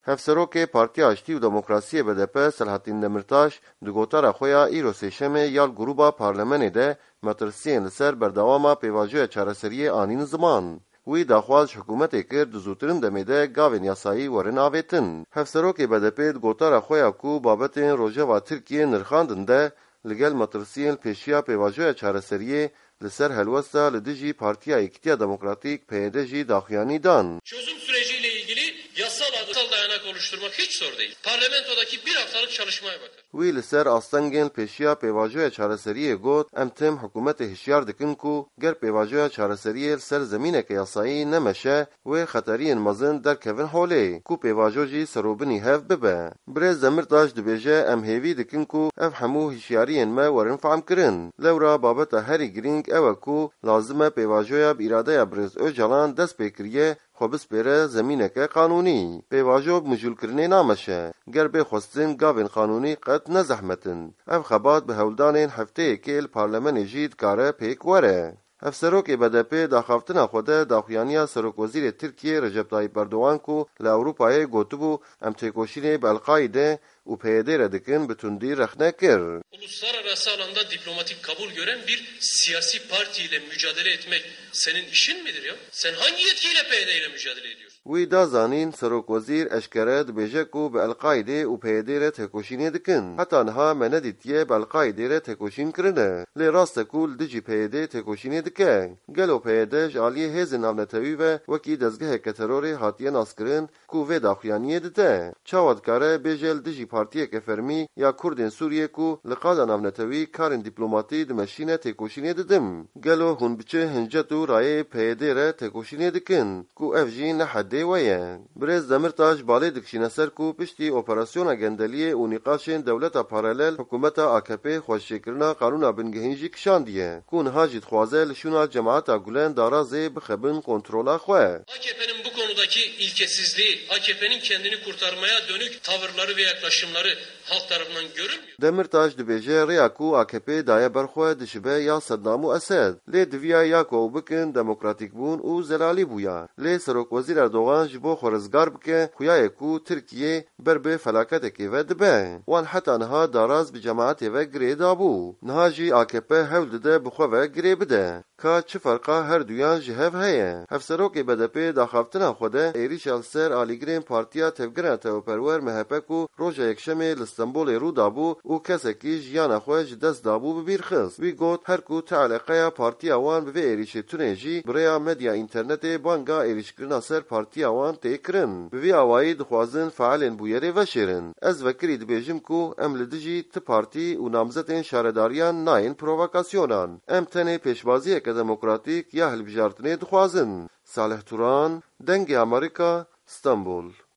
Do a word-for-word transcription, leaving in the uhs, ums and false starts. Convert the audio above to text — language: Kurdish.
Hevserokê Partiya Aştî û Demokrasiyê B D P Selahattin Demirtaş di gotara xwe ya îro sêşemê ya li grûba parlamenê de metirsiyên li ser berdewama pêvajoya çareseriyê anîn ziman. Wî daxwaz ji hikûmetê kir di zûtirin demê de gavên yasayî werin avêtin. Hevserokê B D P di gotara xwe ya ku babetên rojeva Tirkiyê nirxandin de, li gel metirsiyên li pêşiya pêvajoya çareseriyê li ser helwesta li dijî Partiya Yekîtiya Demokratîk P Y D jî daxuyanî dan. Çözüm süreciyle ilgili yasal adı-, dayanak oluşturmak hiç zor değil. Parlamentodaki bir haftalık çalışmaya bakar. Wî li ser astengên li pêşiya pêvajoya çareseriyê got, em tim hikûmetê hişyar dikin ku ger pêvajoya çareseriyê li ser zemîneke yasayî nemeşe, wê xeteriyên mezin derkevin holê, ku pêvajo jî serobinî hev bibe. Birêz Demirtaş dibêje, em hêvî dikin ku ev hemû hişyariyên me werin fehmkirin. Lewra babeta herî girîng ew e ku lazim e pêvajoya bi îradeya birêz Ocalan dest pê kiriye, xwe bispêre zemîneke qanûnî. Pêvajo bi mijûlkirinê nameşe. Ger bê xwestin gavên qanûnî qet ne zehmet in. Ev xebat bi hewldanên hefteyekê li parlamenê jî dikare pêk were. Hevserokê B D P daxaftina xwe de daxuyaniya Serokwezîrê Tirkiyê Recep Tayyip Erdogan ku li Ewropayê gotibû, em têkoşînê bi El-Qaîde û P Y D re dikin, bi tundî rexne kir. Uluslararası alanda diplomatik kabul gören bir siyasi parti ile mücadele etmek senin işin midir ya? Sen hangi yetkiyle P Y D ile mücadele ediyorsun? Wî da zanîn, Serokwezîr eşkere dibêje ku bi El-Qaîdê û P Y D re têkoşînê dikin. Heta niha me nedîtiye bi El-Qaîdê re têkoşîn kirine. Lê rast e ku li dijî P Y D têkoşînê dike. Gelo P Y D ji aliyê hêzên navnetewî ve wekî dezgeheke terorê hatiye naskirin ku vê daxuyaniyê dide? Çawa dikare bêje li dijî partiyeke fermî ya Kurdên Sûriyê ku li qada navnetewî karên dîplomatî dimeşîne têkoşînê didim? Gelo hûn bi çi hincet û rayê P Y D re têkoşînê dikin? Ku ev jî ne hedê we ye. Birêz Demirtaş balê dikişîne ser ku piştî operasyona gendeliyê û nîqaşên dewleta paralel hikûmeta A K P xweşikirina qanûna bingehîn jî kişandiye, ku niha jî dixwaze li şûna cemaeta Gulen Darazê bixe bin kontrola xwe. A K P'nin bu konudaki ilkesizliği, A K P'nin kendini kurtarmaya dönük tavırları ve yaklaşımları halk tarafından görülmüyor. Demirtaş dibêje, rêya ku A K P daye ber xwe dişibe ya Seddam û Esed. Lê diviya ya ku ew bikin, demokratîkbûn û zelalî bûya. Lê Serokwezîr Erdogan ji bo xwe rizgar bike, xuya ye ku Tirkiye ber bi felaketekê ve dibe. Wan heta niha daraz bi cemaetê ve girê dabû. Niha jî A K P hewl dide bi xwe ve girê bide. Ka çi ferqa her duyan ji hev heye? Hevserokê B D P daxaftina xwe de êrîşa li ser alîgirên Partiya Tevgera Neteweperwer M H P ku roja Yekşemê li Stenbolê rû dabû û kesekî jiyana xwe ji dest dabû bi bîr xist. Wî got, her ku ti eleqeya partiya wan bi vê êrîşê tune jî, bi rêya medya înternetê banga êrîşkirina ser partiya wan tê kirin. Bi vî awayî dixwazin feelên bûyerê veşêrin. Ez vekirî dibêjim ku em li dijî ti partî û namzetên şaredariyan nayên provokasyonan. Em tenê pêşbaziyeke demokratîk ya hilbijartinê dixwazin. Salih Turan, Dengê Amerîka, Stenbol.